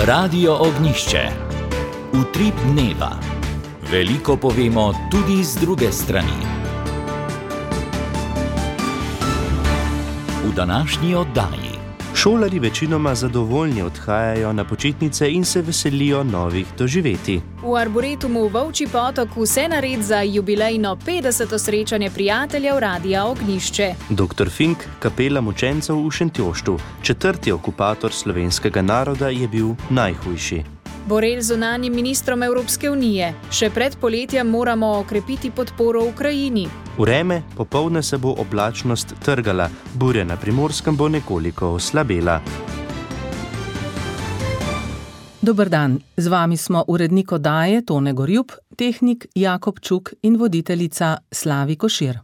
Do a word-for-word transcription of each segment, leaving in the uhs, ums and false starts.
Radio Ognjišče. Utrip dneva. Veliko povemo tudi z druge strani. V današnji oddaji. Šolarji večinoma zadovoljni odhajajo na počitnice in se veselijo novih doživetij. V Arboretumu Volčji potok vse nared za jubilejno petdeseto srečanje prijateljev Radia Ognjišče. doktor Fink, kapela mučencev v Šentjoštu, četrti okupator slovenskega naroda, je bil najhujši. Borel zunanjim ministrom Evropske unije. Še pred poletjem moramo okrepiti podporo Ukrajini. Vreme, popoldne se bo oblačnost trgala, burja na Primorskem bo nekoliko oslabela. Dober dan, z vami smo urednik oddaje Tone Gorjup, tehnik Jakob Čuk in voditeljica Slavi Košir.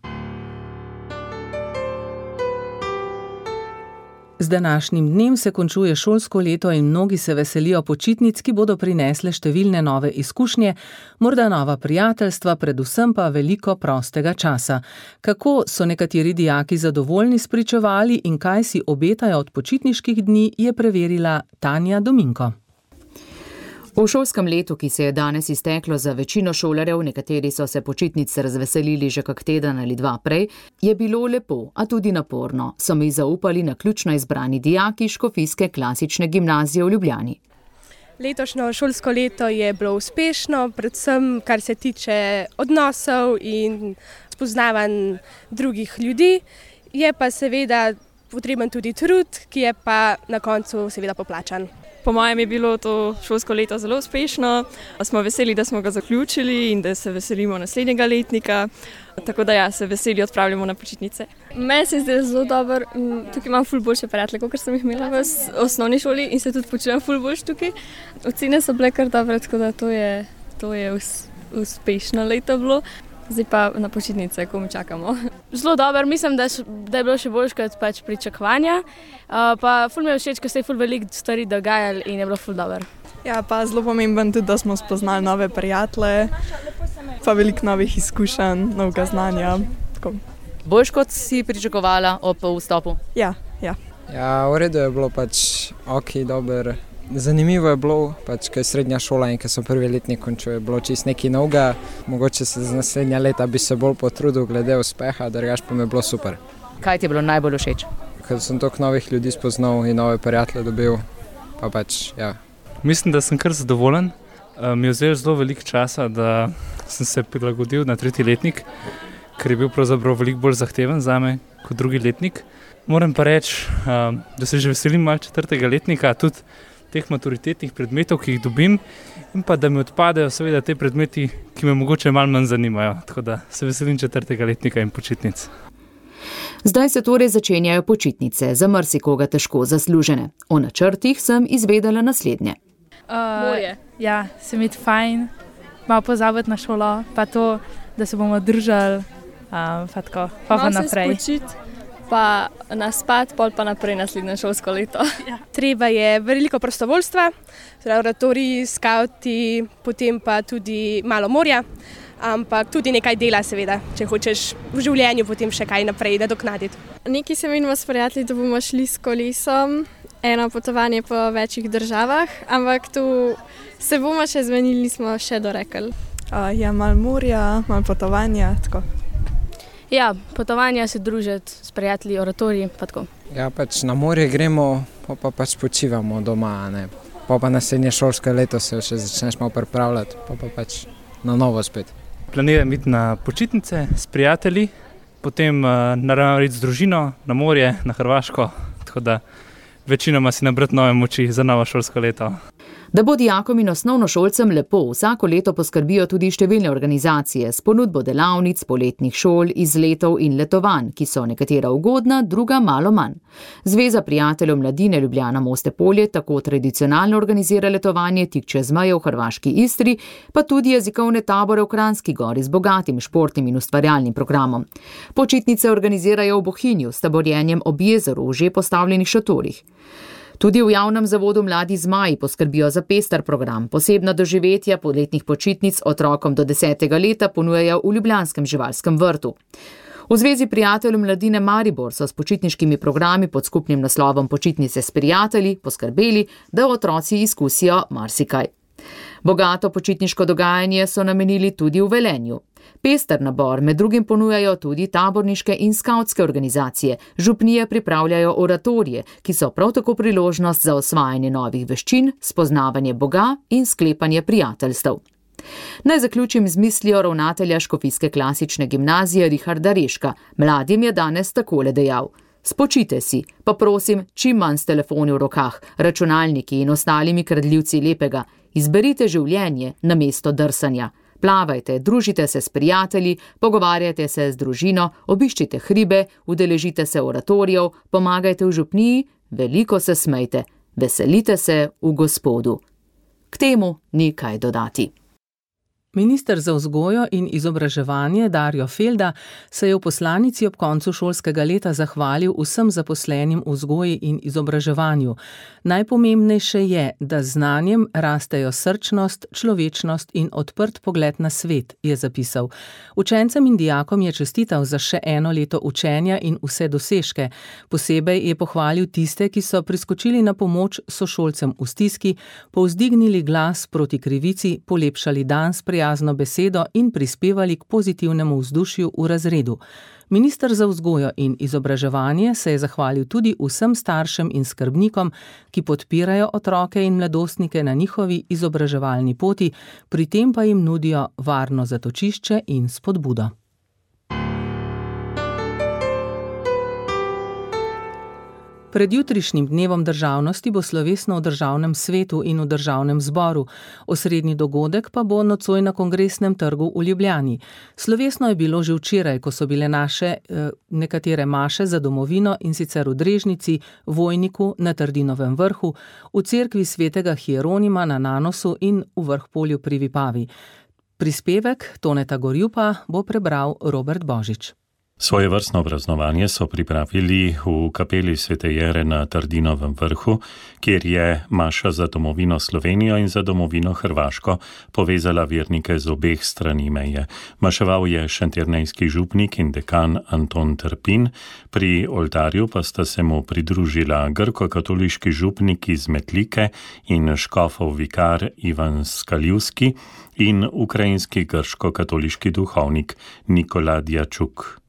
Z današnjim dnem se končuje šolsko leto in mnogi se veselijo počitnic, ki bodo prinesle številne nove izkušnje, morda nova prijateljstva, predvsem pa veliko prostega časa. Kako so nekateri dijaki zadovoljni spričevali in kaj si obetajo od počitniških dni, je preverila Tanja Dominko. V šolskem letu, ki se je danes izteklo za večino šolarjev, nekateri so se počitnic razveselili že kak teden ali dva prej, je bilo lepo, a tudi naporno, so mi zaupali naključno izbrani dijaki Škofijske klasične gimnazije v Ljubljani. Letošnjo šolsko leto je bilo uspešno, predvsem kar se tiče odnosov in spoznavanj drugih ljudi, je pa seveda potreben tudi trud, ki je pa na koncu seveda poplačan. Po mojem je bilo to šolsko leto zelo uspešno, smo veseli, da smo ga zaključili in da se veselimo naslednjega letnika, tako da ja, se veseli odpravljamo na počitnice. Meni se zdi zelo dobro, tukaj imam ful boljše prijatelje, kot sem jih imela v osnovni šoli in se tudi počutim ful boljš tukaj. Ocene so bile kar dobre, tako da to je, to je uspešno leto bilo. Zdaj pa na počitnice, ko mi čakamo. Zelo dobro, mislim, da, š, da je bilo še boljš kot pač pričakovanja. Uh, pa ful mi je všeč, ker se je ful veliko stvari dogajali in je bilo ful dobro. Ja, pa zelo pomemben tudi, da smo spoznali nove prijatelje, pa veliko novih izkušenj, novega znanja. Tako. Boljš kot si pričakovala ob vstopu? Ja, ja. Ja, v redu je bilo pač ok, dober. Zanimivo je bilo, pač, ko je srednja šola in ko so prvi letnik končil, je bilo čisto nekaj novega. Mogoče se z naslednja leta bi se bolj potrudil glede uspeha, drugače pa mi je bilo super. Kaj ti je bilo najbolj všeč? Ker sem toliko novih ljudi spoznal in nove prijatelje dobil, pa pač, ja. Mislim, da sem kar zadovoljen. Mi je vzel zelo veliko časa, da sem se prilagodil na tretji letnik, ker je bil pravzaprav veliko bolj zahteven zame kot drugi letnik. Moram pa reči, da se že veselim malo četrtega letnika, tudi teh maturitetnih predmetov, ki jih dobim, in pa da mi odpadejo seveda te predmeti, ki me mogoče malo manj zanimajo. Tako da se veselim četrtega letnika in počitnic. Zdaj se torej začenjajo počitnice, za marsikoga težko zaslužene. O načrtih sem izvedela naslednje. Uh, ja, se mi je fajn, malo pozabiti na šolo, pa to, da se bomo držali, um, pa tako, pa pa naprej. Malo se spočiti, pa naspat, pol pa naprej naslednje šolsko leto. Ja. Treba je veliko prostovoljstva, oratoriji, skauti, potem pa tudi malo morja, ampak tudi nekaj dela seveda, če hočeš v življenju potem še kaj naprej nadoknaditi. Nekaj se menimo s prijatelji, da bomo šli s kolesom, eno potovanje po večjih državah, ampak tu se bomo še zmenili, nismo še dorekli. Uh, ja, malo morja, malo potovanja, tako. Ja, potovanja se družiti s prijatelji, oratoriji, pa tako. Ja, pač na morje gremo, pa, pa pač počivamo doma, ne. Pa pa naslednje šolsko leto se še začneš malo pripravljati, pa pa pač na novo spet. Planiram iti na počitnice s prijatelji, potem uh, naravno iti z družino na morje, na Hrvaško, tako da večinoma si nabrati nove moči za novo šolsko leto. Da bo dijakom in osnovnošolcem lepo, vsako leto poskrbijo tudi številne organizacije s ponudbo delavnic, poletnih šol, izletov in letovanj, ki so nekatera ugodna, druga malo manj. Zveza prijateljev mladine Ljubljana Moste Polje tako tradicionalno organizira letovanje tik čez mejo v hrvaški Istri, pa tudi jezikovne tabore v Kranjski Gori z bogatim športnim in ustvarjalnim programom. Počitnice organizirajo v Bohinju s taborjenjem ob jezeru v že postavljenih šatorih. Tudi v javnem zavodu Mladi zmaji poskrbijo za pester program. Posebna doživetja poletnih počitnic otrokom do desetega leta ponujajo v ljubljanskem živalskem vrtu. V Zvezi prijateljev mladine Maribor so s počitniškimi programi pod skupnim naslovom Počitnice s prijatelji poskrbeli, da otroci izkusijo marsikaj. Bogato počitniško dogajanje so namenili tudi v Velenju. Pester nabor med drugim ponujajo tudi taborniške in skavtske organizacije, župnije pripravljajo oratorije, ki so prav tako priložnost za osvajanje novih veščin, spoznavanje Boga in sklepanje prijateljstev. Naj zaključim z mislijo ravnatelja Škofijske klasične gimnazije Richarda Reška. Mladim je danes takole dejal: spočite si, pa prosim, čim manj s telefoni v rokah, računalniki in ostalimi kradljivci lepega. Izberite življenje namesto drsanja. Plavajte, družite se s prijatelji, pogovarjajte se z družino, obiščite hribe, udeležite se oratorijev, pomagajte v župniji, veliko se smejte, veselite se v Gospodu. K temu ni kaj dodati. Minister za vzgojo in izobraževanje Darjo Felda se je v poslanici ob koncu šolskega leta zahvalil vsem zaposlenim v vzgoji in izobraževanju. Najpomembnejše je, da z znanjem rastejo srčnost, človečnost in odprt pogled na svet, je zapisal. Učencem in dijakom je čestital za še eno leto učenja in vse dosežke. Posebej je pohvalil tiste, ki so priskočili na pomoč sošolcem v stiski, povzdignili glas proti krivici, polepšali dan s prijateljem besedo in prispevali k pozitivnemu vzdušju v razredu. Minister za vzgojo in izobraževanje se je zahvalil tudi vsem staršem in skrbnikom, ki podpirajo otroke in mladostnike na njihovi izobraževalni poti, pri tem pa jim nudijo varno zatočišče in spodbudo. Pred jutrišnjim dnevom državnosti bo slovesno v državnem svetu in v državnem zboru. Osrednji dogodek pa bo nocoj na Kongresnem trgu v Ljubljani. Slovesno je bilo že včeraj, ko so bile naše eh, nekatere maše za domovino, in sicer v Drežnici, Vojniku, na Trdinovem vrhu, v cerkvi svetega Hieronima na Nanosu in v Vrhpolju pri Vipavi. Prispevek Toneta Gorjupa bo prebral Robert Božič. Svoje vrstno praznovanje so pripravili v kapeli Svete Jere na Trdinovem vrhu, kjer je maša za domovino Slovenijo in za domovino Hrvaško povezala vernike z obeh strani meje. Maševal je šentjernejski župnik in dekan Anton Trpin, pri oltarju pa sta se mu pridružila grko-katoliški župnik iz Metlike in škofov vikar Ivan Skaljivski in ukrajinski grško-katoliški duhovnik Nikola Djačuk.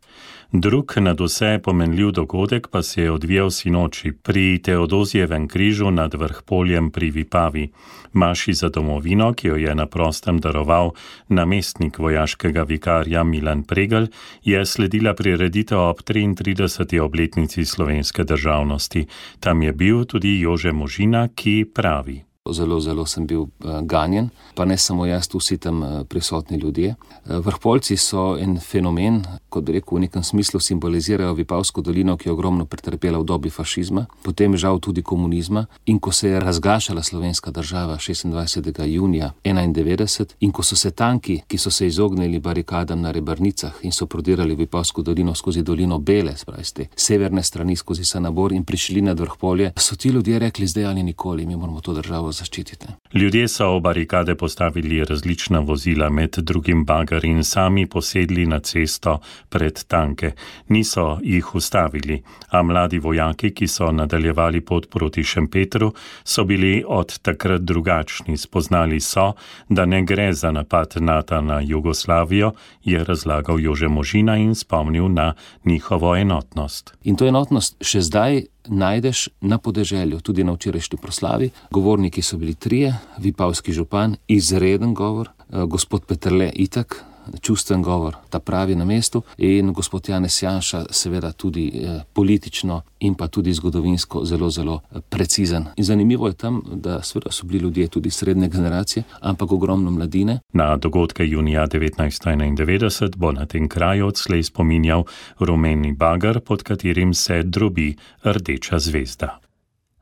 Drug nadvse pomenljiv dogodek pa se je odvijal sinoči pri Teodozijevem križu nad Vrhpoljem pri Vipavi. Maši za domovino, ki jo je na prostem daroval namestnik vojaškega vikarja Milan Pregl, je sledila prireditev ob triintrideseti obletnici slovenske državnosti. Tam je bil tudi Jože Možina, ki pravi: Zelo, zelo sem bil ganjen, pa ne samo jaz, vsi tam prisotni ljudje. Vrhpolci so en fenomen, kot bi rekel, v nekem smislu simbolizirajo Vipavsko dolino, ki je ogromno pretrpela v dobi fašizma, potem žal tudi komunizma, in ko se je razgašala slovenska država šestindvajsetega junija enaindevetdeset in ko so se tanki, ki so se izognili barikadam na Rebrnicah in so prodirali Vipavsko dolino skozi dolino Bele, spravi z te severne strani skozi Sanabor in prišli nad Vrhpolje, so ti ljudje rekli: zdaj ali nikoli, mi moramo to državo zaščititi. Ljudje so v barikade postavili različna vozila, med drugim bager, in sami posedli na cesto pred tanke. Niso jih ustavili, a mladi vojaki, ki so nadaljevali pot proti Šempetru, so bili od takrat drugačni. Spoznali so, da ne gre za napad Nata na Jugoslavijo, je razlagal Jože Možina in spomnil na njihovo enotnost. In to enotnost še zdaj najdeš na podeželju, tudi na včerajšnji proslavi. Govorniki so bili trije: vipavski župan, izreden govor, gospod Peterle itak, čustven govor, ta pravi na mestu, in gospod Janez Janša, seveda tudi eh, politično in pa tudi zgodovinsko zelo, zelo precizen. In zanimivo je tam, da seveda so bili ljudje tudi srednje generacije, ampak ogromno mladine. Na dogodke junija devetnajststo enaindevetdeset bo na tem kraju odslej spominjal rumeni bager, pod katerim se drobi rdeča zvezda.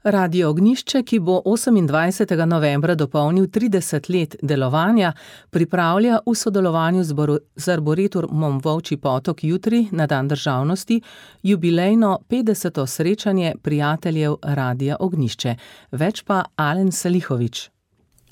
Radio Ognjišče, ki bo osemindvajsetega novembra dopolnil trideset let delovanja, pripravlja v sodelovanju z Arboretumom Volčji Potok jutri, na dan državnosti, jubilejno petdeseto srečanje prijateljev Radia Ognjišče. Več pa Alen Salihovič.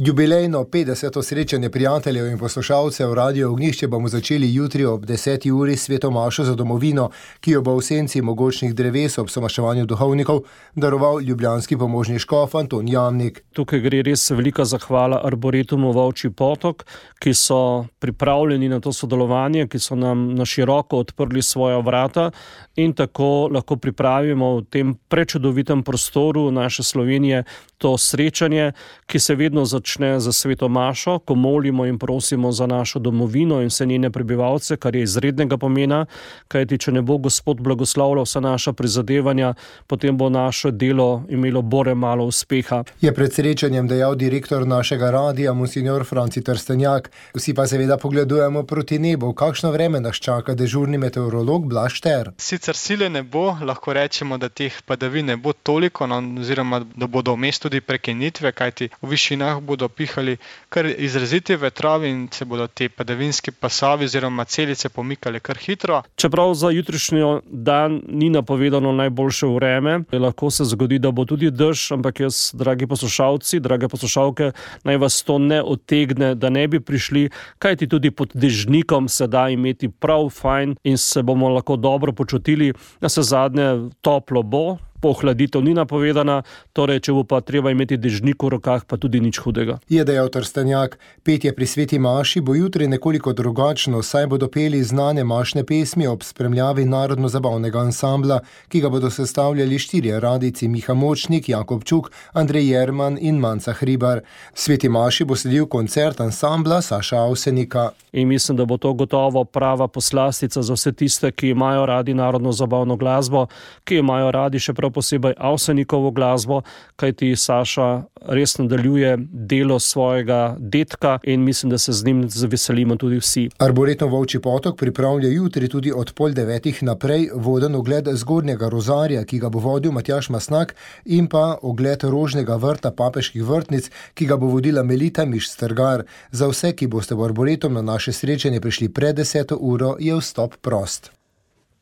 Jubilejno petdeseto srečanje prijateljev in poslušalcev Radio Ognjišče bomo začeli jutri ob deseti uri s sveto mašo za domovino, ki jo bo v senci mogočnih dreves ob somaševanju duhovnikov daroval ljubljanski pomožni škof Anton Jamnik. Tukaj gre res velika zahvala Arboretumu Volčji potok, ki so pripravljeni na to sodelovanje, ki so nam na široko odprli svoja vrata in tako lahko pripravimo v tem prečudovitem prostoru naše Slovenije to srečanje, ki se vedno začne za sveto mašo, ko molimo in prosimo za našo domovino in vse njene prebivalce, kar je izrednega pomena, kajti če ne bo Gospod blagoslavljal vsa naša prizadevanja, potem bo naše delo imelo bore malo uspeha. Je pred srečanjem dejal direktor našega radija, monsignor Franci Trstenjak. Vsi pa seveda pogledujemo proti nebu. Kakšno vreme nas čaka dežurni meteorolog Blaž Šter? Sicer sile ne bo, lahko rečemo, da teh padavin ne bo toliko, no, oziroma da bodo vmes tudi prekinitve, kajti v višinah bodo pihali kar izraziti vetrovi in se bodo te padavinski pasovi oziroma celice pomikale kar hitro. Čeprav za jutrišnjo dan ni napovedano najboljše vreme, lahko se zgodi, da bo tudi dež, ampak jaz, dragi poslušalci, drage poslušalke, naj vas to ne odtegne, da ne bi prišli, kajti tudi pod dežnikom se da imeti prav fajn in se bomo lahko dobro počutili, da se zadnje toplo bo. Pohladitev ni napovedana, torej če bo pa treba imeti dežnik v rokah, pa tudi nič hudega. Je dejal Trstenjak. Petje pri sveti maši bo jutri nekoliko drugačno, saj bodo peli znane mašne pesmi ob spremljavi narodno-zabavnega ansambla, ki ga bodo sestavljali štirje radijci: Miha Močnik, Jakob Čuk, Andrej Jerman in Manca Hribar. Sveti maši bo sledil koncert ansambla Saša Avsenika. In mislim, da bo to gotovo prava poslastica za vse tiste, ki imajo radi narodno-zabavno glasbo, ki imajo radi še prav posebej Avsenikovo glasbo, kajti Saša res nadaljuje delo svojega dedka in mislim, da se z njim zaveselimo tudi vsi. Arboretum Volčji potok pripravlja jutri tudi od pol devetih naprej voden ogled Zgornjega rozarja, ki ga bo vodil Matjaž Masnak, in pa ogled Rožnega vrta papeških vrtnic, ki ga bo vodila Melita Miš-Strgar. Za vse, ki boste v Arboretum na naše srečanje prišli pred deseto uro, je vstop prost.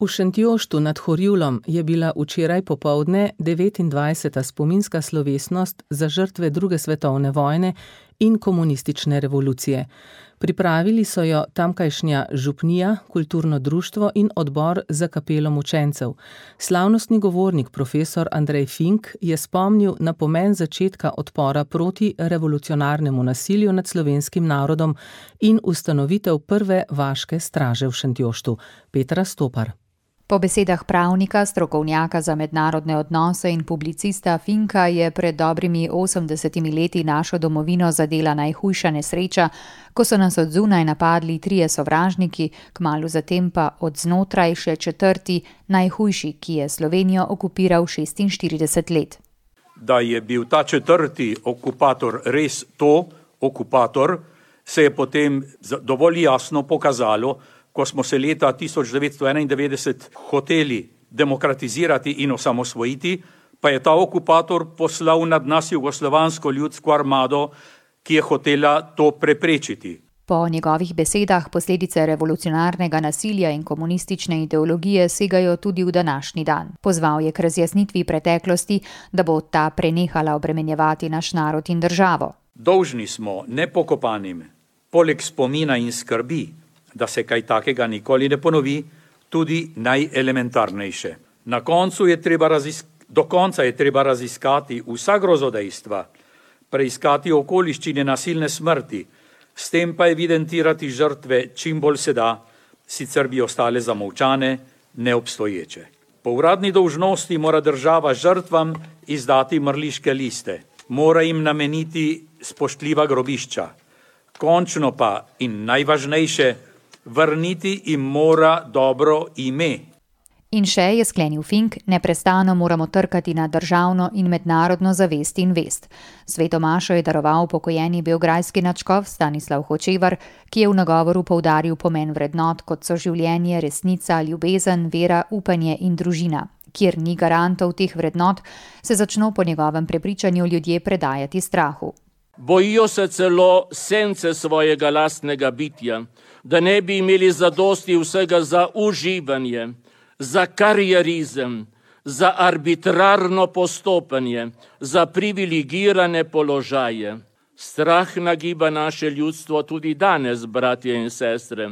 V Šentjoštu nad Horjulom je bila včeraj popoldne devetindvajseta spominska slovesnost za žrtve druge svetovne vojne in komunistične revolucije. Pripravili so jo tamkajšnja župnija, kulturno društvo in odbor za kapelo mučencev. Slavnostni govornik profesor Andrej Fink je spomnil na pomen začetka odpora proti revolucionarnemu nasilju nad slovenskim narodom in ustanovitev prve vaške straže v Šentjoštu. Petra Stopar. Po besedah pravnika, strokovnjaka za mednarodne odnose in publicista Finka je pred dobrimi osemdesetimi leti našo domovino zadela najhujša nesreča, ko so nas od zunaj napadli trije sovražniki, kmalu zatem pa od znotraj še četrti, najhujši, ki je Slovenijo okupiral šestinštirideset let. Da je bil ta četrti okupator res to, okupator, se je potem dovolj jasno pokazalo, ko smo se leta tisoč devetsto enaindevetdeset hoteli demokratizirati in osamosvojiti, pa je ta okupator poslal nad nas jugoslovansko ljudsko armado, ki je hotela to preprečiti. Po njegovih besedah posledice revolucionarnega nasilja in komunistične ideologije segajo tudi v današnji dan. Pozval je k razjasnitvi preteklosti, da bo ta prenehala obremenjevati naš narod in državo. Dolžni smo nepokopanim, poleg spomina in skrbi, da se kaj takega nikoli ne ponovi, tudi najelementarnejše. Na koncu je treba razisk- do konca je treba raziskati vsa grozodejstva, preiskati okoliščine nasilne smrti, s tem pa evidentirati žrtve čim bolj se da, sicer bi ostale zamolčane, neobstoječe. Po uradni dolžnosti mora država žrtvam izdati mrliške liste, mora jim nameniti spoštljiva grobišča, končno pa in najvažnejše, vrniti jim mora dobro ime. In še je sklenil Fink, neprestano moramo trkati na državno in mednarodno zavest in vest. Sveto mašo je daroval pokojeni beograjski nadškof Stanislav Hočevar, ki je v nagovoru poudaril pomen vrednot, kot so življenje, resnica, ljubezen, vera, upanje in družina. Kjer ni garantov teh vrednot, se začno po njegovem prepričanju ljudje predajati strahu. Bojijo se celo sence svojega lastnega bitja, da ne bi imeli zadosti vsega za uživanje, za karierizem, za arbitrarno postopanje, za privilegirane položaje. Strah nagiba naše ljudstvo tudi danes, bratje in sestre,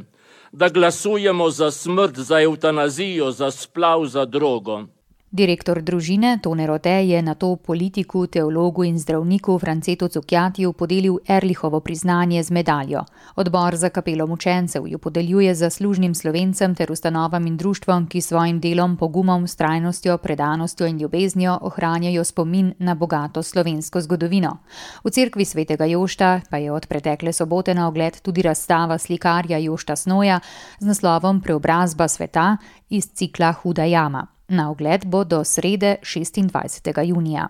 da glasujemo za smrt, za evtanazijo, za splav, za drogo. Direktor družine Tone Rode je nato politiku, teologu in zdravniku Francetu Cukjatiju podelil Erlihovo priznanje z medaljo. Odbor za kapelo mučencev jo podeljuje zaslužnim Slovencem ter ustanovam in društvom, ki svojim delom, pogumom, vztrajnostjo, predanostjo in ljubeznijo ohranjajo spomin na bogato slovensko zgodovino. V cerkvi svetega Jošta pa je od pretekle sobote na ogled tudi razstava slikarja Jošta Snoja z naslovom Preobrazba sveta iz cikla Huda jama. Na ogled bo do srede šestindvajsetega junija.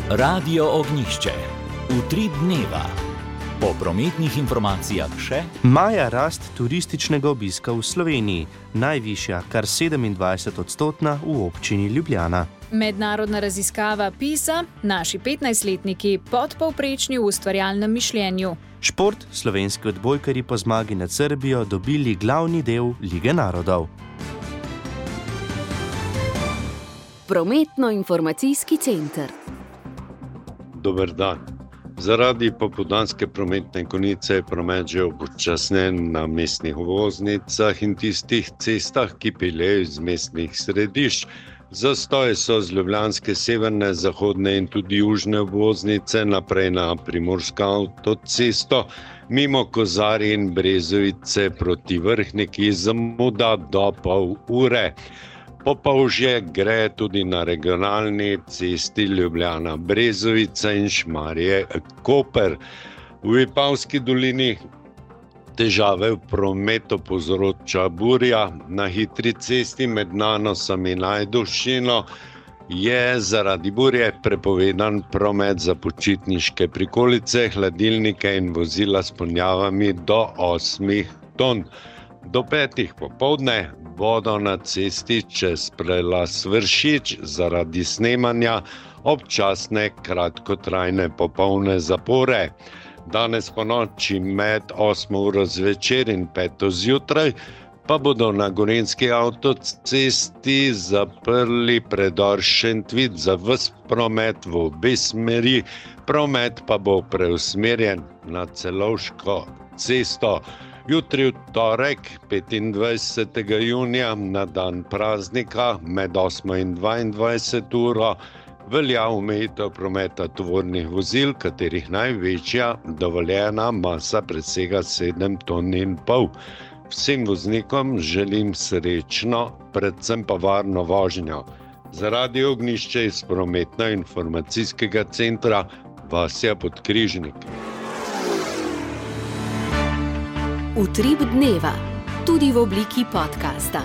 Radio Ognjišče. Utrip dneva. Po prometnih informacijah še maja rast turističnega obiska v Sloveniji, najvišja, kar sedemindvajset odstotna v občini Ljubljana. Mednarodna raziskava PISA, naši petnajstletniki podpovprečni v ustvarjalnem mišljenju. Šport, slovenski odbojkarji po zmagi nad Srbijo dobili glavni del Lige narodov. Prometno-informacijski center. Dober dan. Zaradi popoldanske prometne konice je promet že upočasnjen na mestnih voznicah in tistih cestah, ki peljejo iz mestnih središč. Zastoje so z ljubljanske severne, zahodne in tudi južne obvoznice naprej na primorsko avtocesto, mimo Kozarja in Brezovice proti Vrhniki zamuda do pol ure. Popolžje gre tudi na regionalni cesti Ljubljana-Brezovica in Šmarje-Koper. V Vipavski dolini težave v prometu povzroča burja. Na hitri cesti med Nanosom in Ajdovščino je zaradi burje prepovedan promet za počitniške prikolice, hladilnike in vozila s ponjavami do osmih ton. Do petih popoldne bodo na cesti čez prelaz Vršič zaradi snemanja občasne kratkotrajne popolne zapore. Danes po noči med osmo uro zvečer in peto zjutraj pa bodo na gorenjski avtocesti zaprli predor Šentvid za ves promet v obe smeri, promet pa bo preusmerjen na Celovško cesto. Jutri v torek, petindvajsetega junija, na dan praznika med osmo in dvaindvajseto uro, velja omejitev prometa tovornih vozil, katerih največja dovoljena masa presega sedem ton in pol. Vsem voznikom želim srečno, predvsem pa varno vožnjo. Zaradi Ognjišče iz prometno-informacijskega centra Vasja Podkrižnik. Utrip dneva, tudi v obliki podcasta.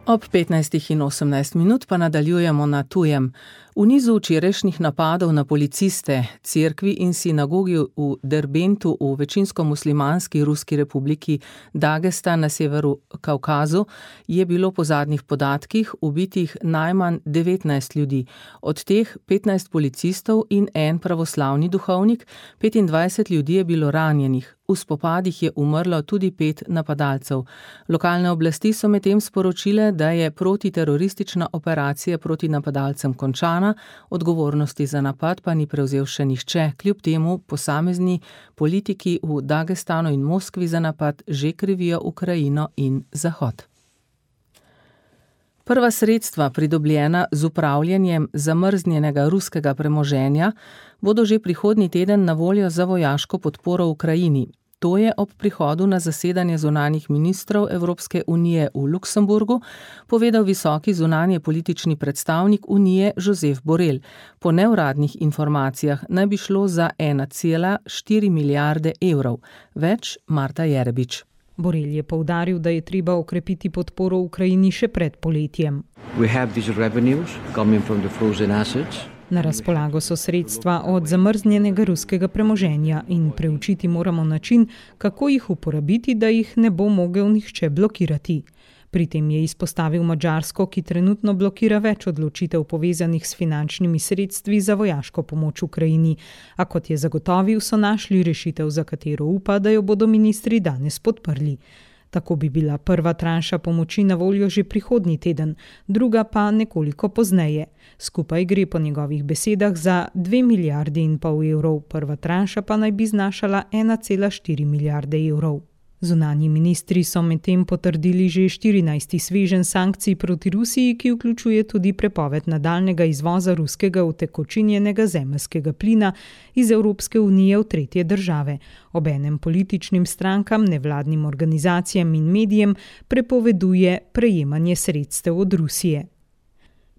Ob petnajstih in osemnajst minut pa nadaljujemo na tujem. V nizu včerajšnjih napadov na policiste, cerkvi in sinagogi v Derbentu v večinsko muslimanski Ruski republiki Dagestan na severu Kavkazu je bilo po zadnjih podatkih ubitih najmanj devetnajst ljudi, od teh petnajst policistov in en pravoslavni duhovnik, petindvajset ljudi je bilo ranjenih. V spopadih je umrlo tudi pet napadalcev. Lokalne oblasti so medtem sporočile, da je protiteroristična operacija proti napadalcem končana, odgovornosti za napad pa ni prevzel še nihče, kljub temu posamezni politiki v Dagestanu in Moskvi za napad že krivijo Ukrajino in Zahod. Prva sredstva, pridobljena z upravljanjem zamrznjenega ruskega premoženja, bodo že prihodnji teden na voljo za vojaško podporo Ukrajini. To je ob prihodu na zasedanje zunanjih ministrov Evropske unije v Luksemburgu povedal visoki zunanje politični predstavnik unije Josep Borrell. Po neuradnih informacijah naj bi šlo za ena cela štiri milijarde evrov. Več Marta Jerebič. Borrell je poudaril, da je treba okrepiti podporo Ukrajini še pred poletjem. We have these revenues coming from the frozen assets. Na razpolago so sredstva od zamrznjenega ruskega premoženja in preučiti moramo način, kako jih uporabiti, da jih ne bo mogel nihče blokirati. Pri tem je izpostavil Madžarsko, ki trenutno blokira več odločitev povezanih s finančnimi sredstvi za vojaško pomoč Ukrajini, a kot je zagotovil, so našli rešitev, za katero upa, da jo bodo ministri danes podprli. Tako bi bila prva tranša pomoči na voljo že prihodnji teden, druga pa nekoliko pozneje. Skupaj gre po njegovih besedah za dve milijardi in pol evrov, prva tranša pa naj bi znašala ena cela štiri milijarde evrov. Zunanji ministri so medtem potrdili že štirinajsti sveženj sankcij proti Rusiji, ki vključuje tudi prepoved nadaljnega izvoza ruskega utekočinjenega zemeljskega plina iz Evropske unije v tretje države. Obenem političnim strankam, nevladnim organizacijam in medijem prepoveduje prejemanje sredstev od Rusije.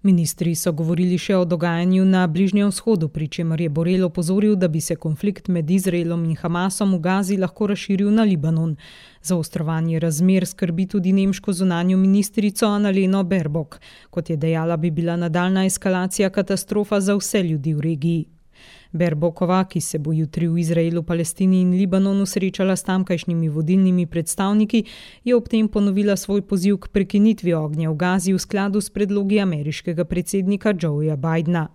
Ministri so govorili še o dogajanju na Bližnjem vzhodu, pri čemer je Borrell opozoril, da bi se konflikt med Izraelom in Hamasom v Gazi lahko razširil na Libanon. Zaostrovanje razmer skrbi tudi nemško zunanjo ministrico Annaleno Baerbock. Kot je dejala, bi bila nadaljna eskalacija katastrofa za vse ljudi v regiji. Baerbockova, ki se bo jutri v Izraelu, Palestini in Libanonu srečala s tamkajšnjimi vodilnimi predstavniki, je ob tem ponovila svoj poziv k prekinitvi ognja v Gazi v skladu s predlogi ameriškega predsednika Joeja Bidena.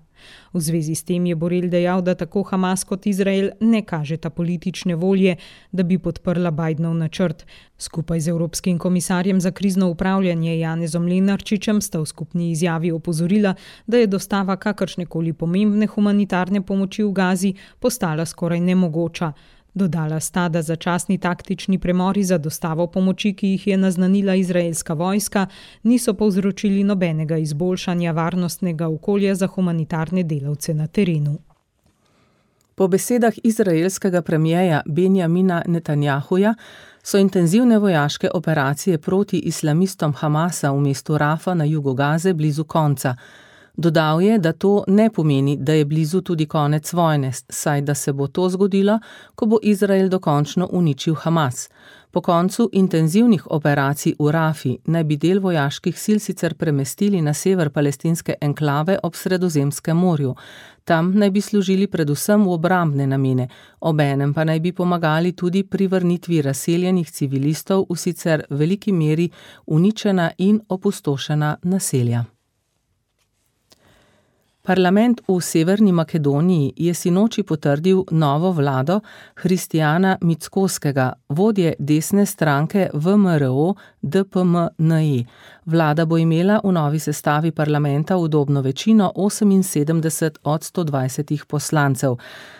V zvezi s tem je Borrell dejal, da tako Hamas kot Izrael ne kažeta politične volje, da bi podprla Bidenov načrt. Skupaj z Evropskim komisarjem za krizno upravljanje Janezom Lenarčičem sta v skupni izjavi opozorila, da je dostava kakršnekoli pomembne humanitarne pomoči v Gazi postala skoraj nemogoča. Dodala sta, da začasni taktični premori za dostavo pomoči, ki jih je naznanila izraelska vojska, niso povzročili nobenega izboljšanja varnostnega okolja za humanitarne delavce na terenu. Po besedah izraelskega premijeja Benjamina Netanjahuja so intenzivne vojaške operacije proti islamistom Hamasa v mestu Rafa na jugu Gaze blizu konca. Dodal je, da to ne pomeni, da je blizu tudi konec vojne, saj da se bo to zgodilo, ko bo Izrael dokončno uničil Hamas. Po koncu intenzivnih operacij v Rafi naj bi del vojaških sil sicer premestili na sever palestinske enklave ob Sredozemskem morju. Tam naj bi služili predvsem v obrambne namene, obenem pa naj bi pomagali tudi pri vrnitvi razseljenih civilistov v sicer veliki meri uničena in opustošena naselja. Parlament v Severni Makedoniji je sinoči potrdil novo vlado Hristijana Mickoskega, vodje desne stranke V M R O D P M N E. Vlada bo imela v novi sestavi parlamenta udobno večino oseminsedemdeset od sto dvajsetih poslancev.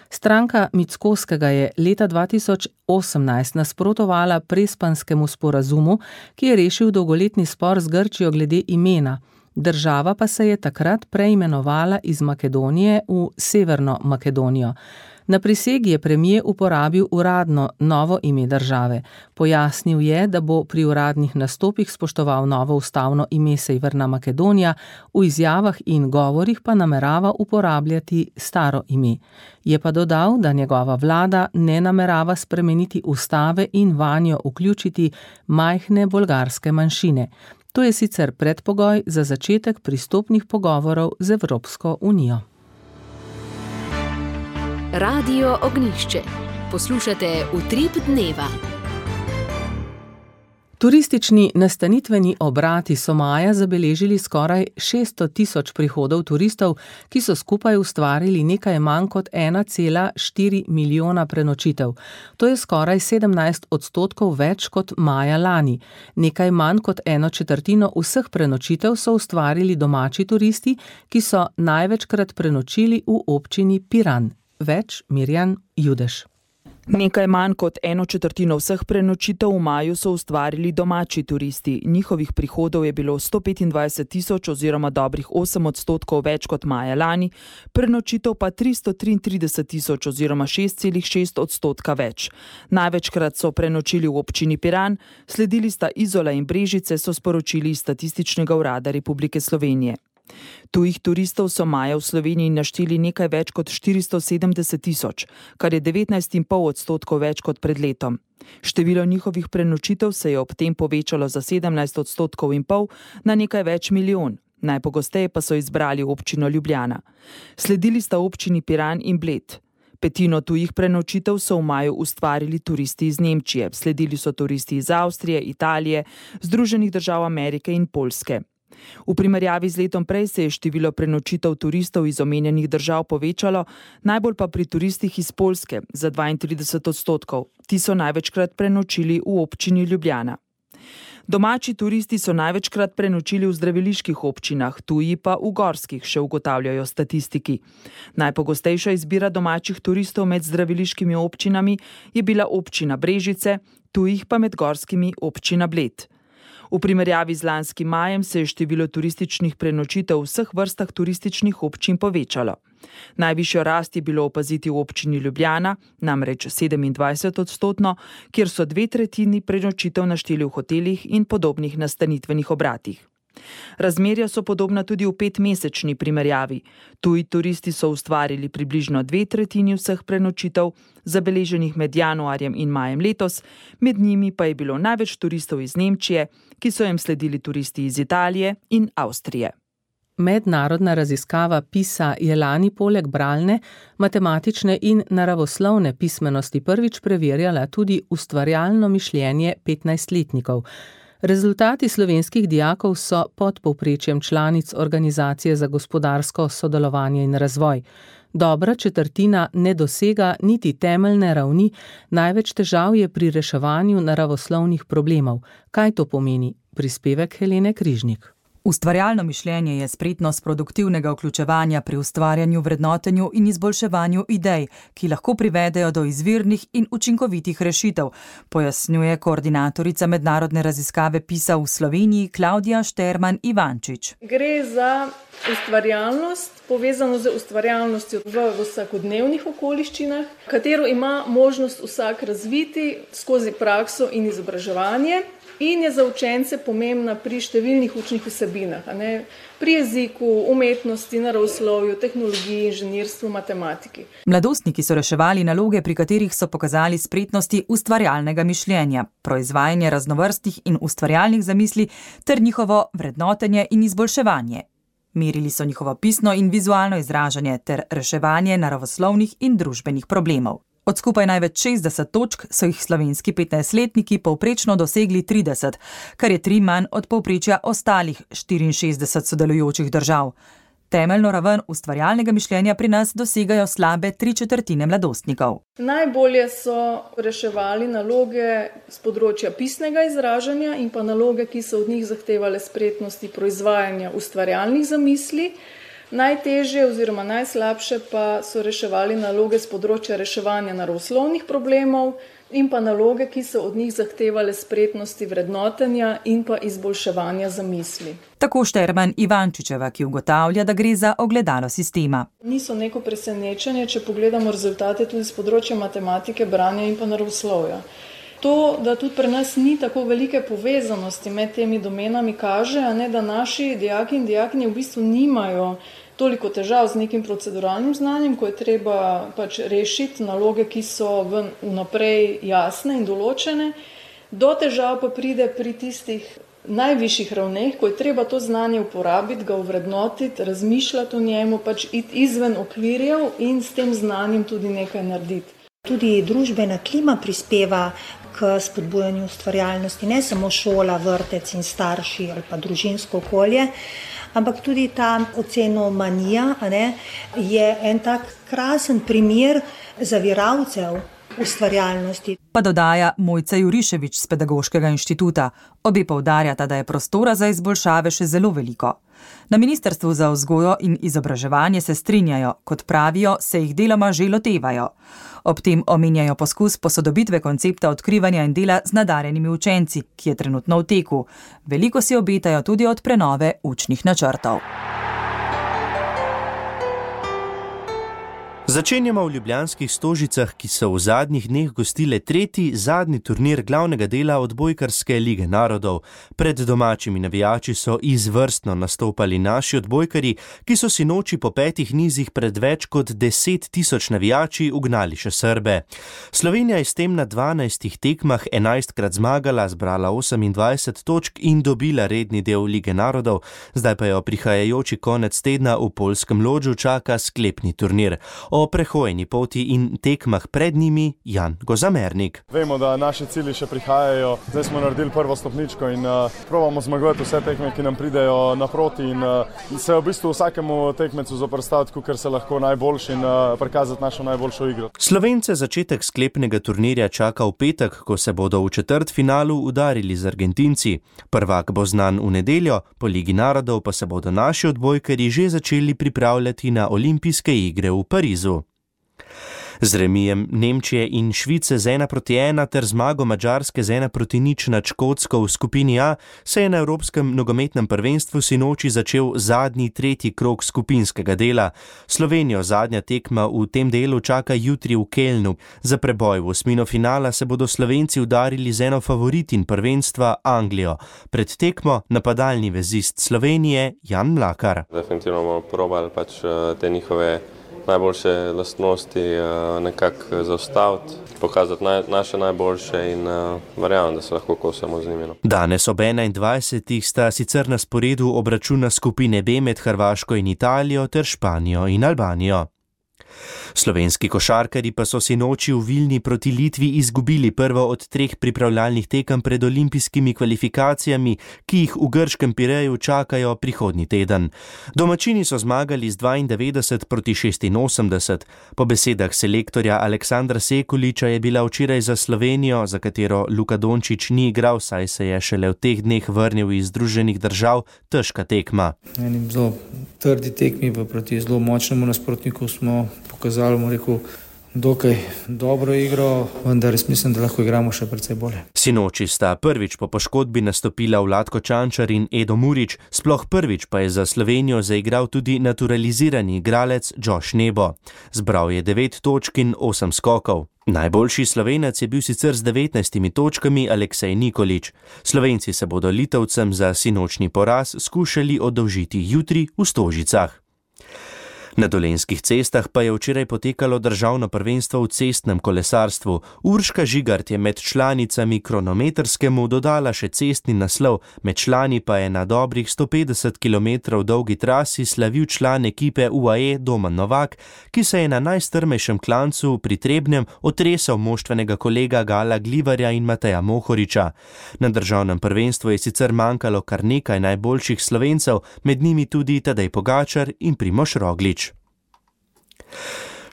Stranka Mickoskega je leta dva tisoč osemnajst nasprotovala Prespanskemu sporazumu, ki je rešil dolgoletni spor z Grčijo glede imena. Država pa se je takrat preimenovala iz Makedonije v Severno Makedonijo. Na prisegi je premijer uporabil uradno novo ime države. Pojasnil je, da bo pri uradnih nastopih spoštoval novo ustavno ime Severna Makedonija, v izjavah in govorih pa namerava uporabljati staro ime. Je pa dodal, da njegova vlada ne namerava spremeniti ustave in vanjo vključiti majhne bolgarske manjšine. To je sicer predpogoj za začetek pristopnih pogovorov z Evropsko unijo. Radio Ognjišče. Poslušate Utrip dneva. Turistični nastanitveni obrati so maja zabeležili skoraj šeststo tisoč prihodov turistov, ki so skupaj ustvarili nekaj manj kot ena cela štiri milijona prenočitev. To je skoraj sedemnajst odstotkov več kot maja lani. Nekaj manj kot eno četrtino vseh prenočitev so ustvarili domači turisti, ki so največkrat prenočili v občini Piran. Več Mirjan Judež. Nekaj manj kot eno četrtino vseh prenočitev v maju so ustvarili domači turisti. Njihovih prihodov je bilo sto petindvajset tisoč oziroma dobrih osem odstotkov več kot maja lani, prenočitev pa tristo triintrideset tisoč oziroma šest celih šest odstotka več. Največkrat so prenočili v občini Piran, sledili sta Izola in Brežice, so sporočili iz Statističnega urada Republike Slovenije. Tujih turistov so maja v Sloveniji našteli nekaj več kot štiristo sedemdeset tisoč, kar je devetnajst celih pet odstotkov več kot pred letom. Število njihovih prenočitev se je ob tem povečalo za sedemnajst odstotkov in pol na nekaj več milijon. Najpogosteje pa so izbrali občino Ljubljana. Sledili sta občini Piran in Bled. Petino tujih prenočitev so v maju ustvarili turisti iz Nemčije, sledili so turisti iz Avstrije, Italije, Združenih držav Amerike in Poljske. V primerjavi z letom prej se je število prenočitev turistov iz omenjenih držav povečalo, najbolj pa pri turistih iz Poljske za dvaintrideset odstotkov. Ti so največkrat prenočili v občini Ljubljana. Domači turisti so največkrat prenočili v zdraviliških občinah, tuji pa v gorskih, še ugotavljajo statistiki. Najpogostejša izbira domačih turistov med zdraviliškimi občinami je bila občina Brežice, tujih pa med gorskimi občina Bled. V primerjavi z lanskim majem se je število turističnih prenočitev v vseh vrstah turističnih občin povečalo. Najvišjo rast je bilo opaziti v občini Ljubljana, namreč sedemindvajset odstotno, kjer so dve tretjini prenočitev našteli v hotelih in podobnih nastanitvenih obratih. Razmerja so podobna tudi v petmesečni primerjavi. Tuji turisti so ustvarili približno dve tretjini vseh prenočitev, zabeleženih med januarjem in majem letos, med njimi pa je bilo največ turistov iz Nemčije, ki so jim sledili turisti iz Italije in Avstrije. Mednarodna raziskava PISA je lani poleg bralne, matematične in naravoslovne pismenosti prvič preverjala tudi ustvarjalno mišljenje petnajstletnikov. Rezultati slovenskih dijakov so pod povprečjem članic Organizacije za gospodarsko sodelovanje in razvoj. Dobra četrtina ne dosega niti temeljne ravni, največ težav je pri reševanju naravoslovnih problemov. Kaj to pomeni? Prispevek Helene Križnik. Ustvarjalno mišljenje je spretnost produktivnega vključevanja pri ustvarjanju, vrednotenju in izboljševanju idej, ki lahko privedejo do izvirnih in učinkovitih rešitev, pojasnjuje koordinatorica mednarodne raziskave PISA v Sloveniji Klaudija Šterman Ivančič. Gre za ustvarjalnost, povezano z ustvarjalnostjo v vsakodnevnih okoliščinah, katero ima možnost vsak razviti skozi prakso in izobraževanje. In je za učence pomembna pri številnih učnih vsebinah, a ne? Pri jeziku, umetnosti, naravoslovju, tehnologiji, inženirstvu, matematiki. Mladostniki so reševali naloge, pri katerih so pokazali spretnosti ustvarjalnega mišljenja, proizvajanje raznovrstnih in ustvarjalnih zamisli ter njihovo vrednotenje in izboljševanje. Merili so njihovo pisno in vizualno izražanje ter reševanje naravoslovnih in družbenih problemov. Od skupaj največ šestdeset točk so jih slovenski petnajstletniki povprečno dosegli trideset, kar je tri manj od povprečja ostalih štiriinšestdeset sodelujočih držav. Temeljno raven ustvarjalnega mišljenja pri nas dosegajo slabe tri četrtine mladostnikov. Najbolje so reševali naloge z področja pisnega izražanja in pa naloge, ki so od njih zahtevale spretnosti proizvajanja ustvarjalnih zamisli. Najtežje oziroma najslabše pa so reševali naloge z področja reševanja naravoslovnih problemov in pa naloge, ki so od njih zahtevale spretnosti vrednotenja in pa izboljševanja zamisli. Tako Šterman Ivančičeva, ki ugotavlja, da gre za ogledalo sistema. Niso neko presenečenje, če pogledamo rezultate tudi z področja matematike, branja in pa naravoslovja. To, da tudi pri nas ni tako velike povezanosti med temi domenami, kaže, a ne, da naši dijaki in dijakinje v bistvu nimajo toliko težav z nekim proceduralnim znanjem, ko je treba pač rešiti naloge, ki so vnaprej jasne in določene. Do težav pa pride pri tistih najvišjih ravneh, ko je treba to znanje uporabiti, ga ovrednotiti, razmišljati o njemu, pač iti izven okvirjev in s tem znanjem tudi nekaj narediti. Tudi družbena klima prispeva k spodbujanju ustvarjalnosti, ne samo šola, vrtec in starši ali pa družinsko okolje, ampak tudi ta ocenomanija, a ne, je en tak krasen primer zaviralcev ustvarjalnosti. Pa dodaja Mojca Juriševič z Pedagoškega inštituta. Obe poudarjata, da je prostora za izboljšave še zelo veliko. Na Ministrstvu za vzgojo in izobraževanje se strinjajo, kot pravijo, se jih deloma že lotevajo. Ob tem omenjajo poskus posodobitve koncepta odkrivanja in dela z nadarjenimi učenci, ki je trenutno v teku. Veliko si obetajo tudi od prenove učnih načrtov. Začenjamo v ljubljanskih Stožicah, ki so v zadnjih dneh gostile tretji, zadnji turnir glavnega dela odbojkarske lige narodov. Pred domačimi navijači so izvrstno nastopali naši odbojkarji, ki so si noči po petih nizih pred več kot deset tisoč navijači ugnali še Srbe. Slovenija je s tem na dvanajstih tekmah enajstkrat zmagala, zbrala osemindvajset točk in dobila redni del lige narodov. Zdaj pa jo prihajajoči konec tedna v poljskem Lodžu čaka sklepni turnir. O O prehojeni poti in tekmah pred njimi Jan Gozamernik. Vemo, da naši cilji še prihajajo. Zdaj smo naredili prvo stopničko in uh, probamo zmagovati vse tekme, ki nam pridejo naproti in uh, se v bistvu vsakemu tekmecu zoprstaviti, ker se lahko najboljši in uh, prikazati našo najboljšo igro. Slovence začetek sklepnega turnirja čaka v petek, ko se bodo v četrtfinalu udarili z Argentinci. Prvak bo znan v nedeljo, po Ligi narodov pa se bodo naši odbojkarji že začeli pripravljati na olimpijske igre v Parizu. Z remijem Nemčije in Švice z ena proti ena ter zmago Madžarske z ena proti nič nad Škotsko v skupini A se je na Evropskem nogometnem prvenstvu sinoči začel zadnji tretji krog skupinskega dela. Slovenijo zadnja tekma v tem delu čaka jutri v Kelnu. Za preboj v osmino finala se bodo Slovenci udarili z eno favoritin prvenstva Anglijo. Pred tekmo napadalni vezist Slovenije Jan Mlakar. Definitivno bomo probali pač te njihove najboljše lastnosti nekako zaustaviti, pokazati naj, naše najboljše in uh, verjamem, da se lahko kosamo z njimi. Danes ob enaindvajsetih sta sicer na sporedu obračuna skupine B med Hrvaško in Italijo ter Španijo in Albanijo. Slovenski košarkarji pa so sinoči v Vilni proti Litvi izgubili prvo od treh pripravljalnih tekem pred olimpijskimi kvalifikacijami, ki jih v grškem Pireju čakajo prihodnji teden. Domačini so zmagali z dvaindevetdeset proti šestinosemdeset. Po besedah selektorja Aleksandra Sekuliča je bila včeraj za Slovenijo, za katero Luka Dončić ni igral, saj se je šele v teh dneh vrnil iz Združenih držav, težka tekma. Enim zelo trdi tekmi proti zelo močnemu nasprotniku smo pokazali, mu rekel, dokaj dobro igro, vendar res mislim, da lahko igramo še precej bolje. Sinoči sta prvič po poškodbi nastopila Vlatko Čančar in Edo Murić, sploh prvič pa je za Slovenijo zaigral tudi naturalizirani igralec Josh Nebo. Zbral je devet točk in osem skokov. Najboljši Slovenec je bil sicer z devetnajstimi točkami Aleksej Nikolić. Slovenci se bodo Litovcem za sinočni poraz skušali oddolžiti jutri v Stožicah. Na dolenjskih cestah pa je včeraj potekalo državno prvenstvo v cestnem kolesarstvu. Urška Žigart je med članicami kronometrskemu dodala še cestni naslov, med člani pa je na dobrih sto petdeset kilometrov dolgi trasi slavil član ekipe U A E Domen Novak, ki se je na najstrmejšem klancu pri Trebnjem otresal moštvenega kolega Gala Glivarja in Mateja Mohoriča. Na državnem prvenstvu je sicer manjkalo kar nekaj najboljših Slovencev, med njimi tudi Tadej Pogačar in Primož Roglič.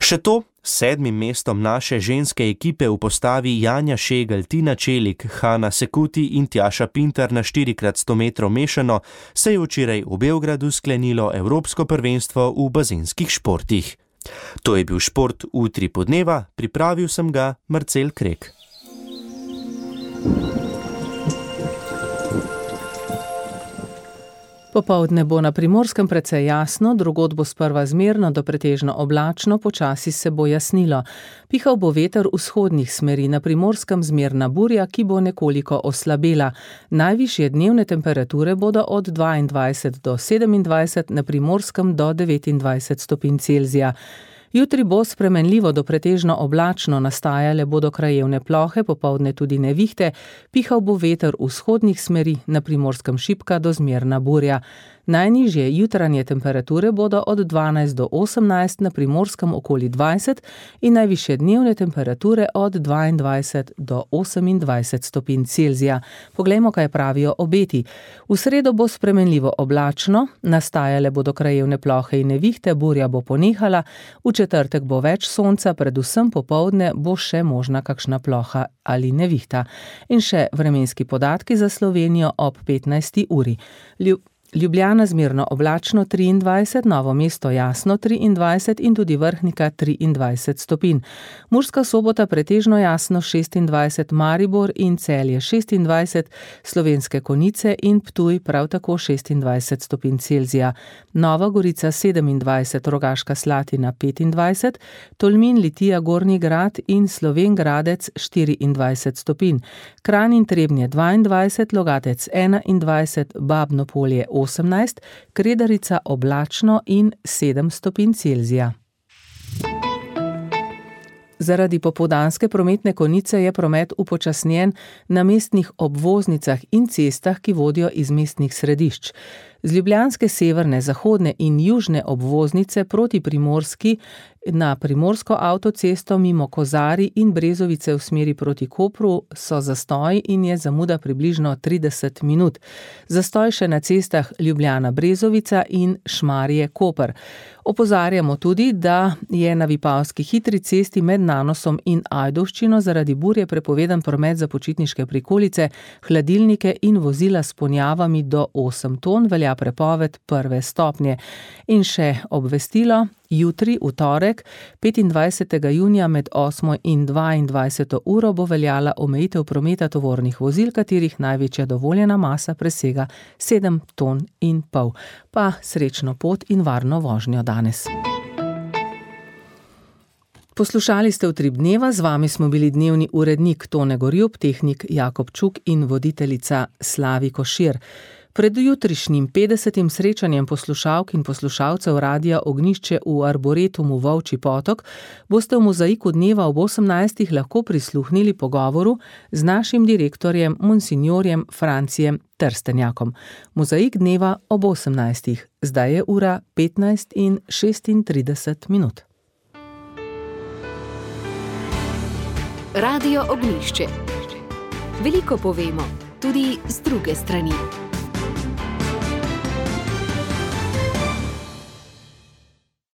Še to, s sedmim mestom naše ženske ekipe v postavi Janja Šegel, Tina Čelik, Hana Sekuti in Tjaša Pintar na štiri krat sto metrov mešano se je včeraj v Beogradu sklenilo Evropsko prvenstvo v bazenskih športih. To je bil šport v Utripu dneva, pripravil sem ga Marcel Krek. Popoldne bo na Primorskem precej jasno, drugod bo sprva zmerno do pretežno oblačno, počasi se bo jasnilo. Pihal bo veter vzhodnih smeri, na Primorskem zmerna burja, ki bo nekoliko oslabela. Najvišje dnevne temperature bodo od dvaindvajset do sedemindvajset, na Primorskem do devetindvajset stopinj Celzija. Jutri bo spremenljivo do pretežno oblačno, nastajale bodo krajevne plohe, popoldne tudi nevihte, pihal bo veter vzhodnih smeri, na Primorskem šibka do zmerna burja. Najnižje jutranje temperature bodo od dvanajst do osemnajst, na Primorskem okoli dvajset in najvišje dnevne temperature od dvaindvajset do osemindvajset stopinj Celzija. Poglejmo, kaj pravijo obeti. V sredo bo spremenljivo oblačno, nastajale bodo krajevne plohe in nevihte, burja bo ponehala, v četrtek bo več sonca, predvsem popoldne bo še možna kakšna ploha ali nevihta. In še vremenski podatki za Slovenijo ob petnajsti uri. Ljub Ljubljana zmerno oblačno triindvajset, Novo mesto jasno triindvajset in tudi Vrhnika triindvajset stopinj. Murska Sobota pretežno jasno šestindvajset, Maribor in Celje šestindvajset, Slovenske Konjice in Ptuj prav tako šestindvajset stopinj Celzija. Nova Gorica sedemindvajset, Rogaška Slatina petindvajset, Tolmin, Litija, Gornji Grad in Slovenj Gradec štiriindvajset stopinj. Kranj in Trebnje dvaindvajset, Logatec enaindvajset, Babno Polje osemnajst, Kredarica oblačno in sedem stopinj Celzija. Zaradi popoldanske prometne konice je promet upočasnjen na mestnih obvoznicah in cestah, ki vodijo iz mestnih središč. Z ljubljanske severne, zahodne in južne obvoznice proti Primorski Na primorsko avtocesto mimo Kozari in Brezovice v smeri proti Kopru so zastoji in je zamuda približno trideset minut. Zastoj še na cestah Ljubljana-Brezovica in Šmarje-Koper. Opozarjamo tudi, da je na Vipavski hitri cesti med Nanosom in Ajdovščino zaradi burje prepovedan promet za počitniške prikolice, hladilnike in vozila s ponjavami do osem ton, velja prepoved prve stopnje. In še obvestilo, jutri, v torek, petindvajsetega junija med osmo in dvaindvajseto uro bo veljala omejitev prometa tovornih vozil, katerih največja dovoljena masa presega sedem ton in pol. Pa srečno pot in varno vožnjo danes. Poslušali ste Utrip dneva, z vami smo bili dnevni urednik Tone Gorjup, tehnik Jakob Čuk in voditeljica Slavi Košir. Pred jutrišnjim petdesetim srečanjem poslušalk in poslušalcev Radia Ognjišče v Arboretumu Volčji Potok boste v Mozaiku dneva ob osemnajstih lahko prisluhnili pogovoru z našim direktorjem monsinjorjem Francijem Trstenjakom. Mozaik dneva ob osemnajstih. Zdaj je ura petnajst in šestintrideset minut. Radio Ognjišče. Veliko povemo, tudi z druge strani.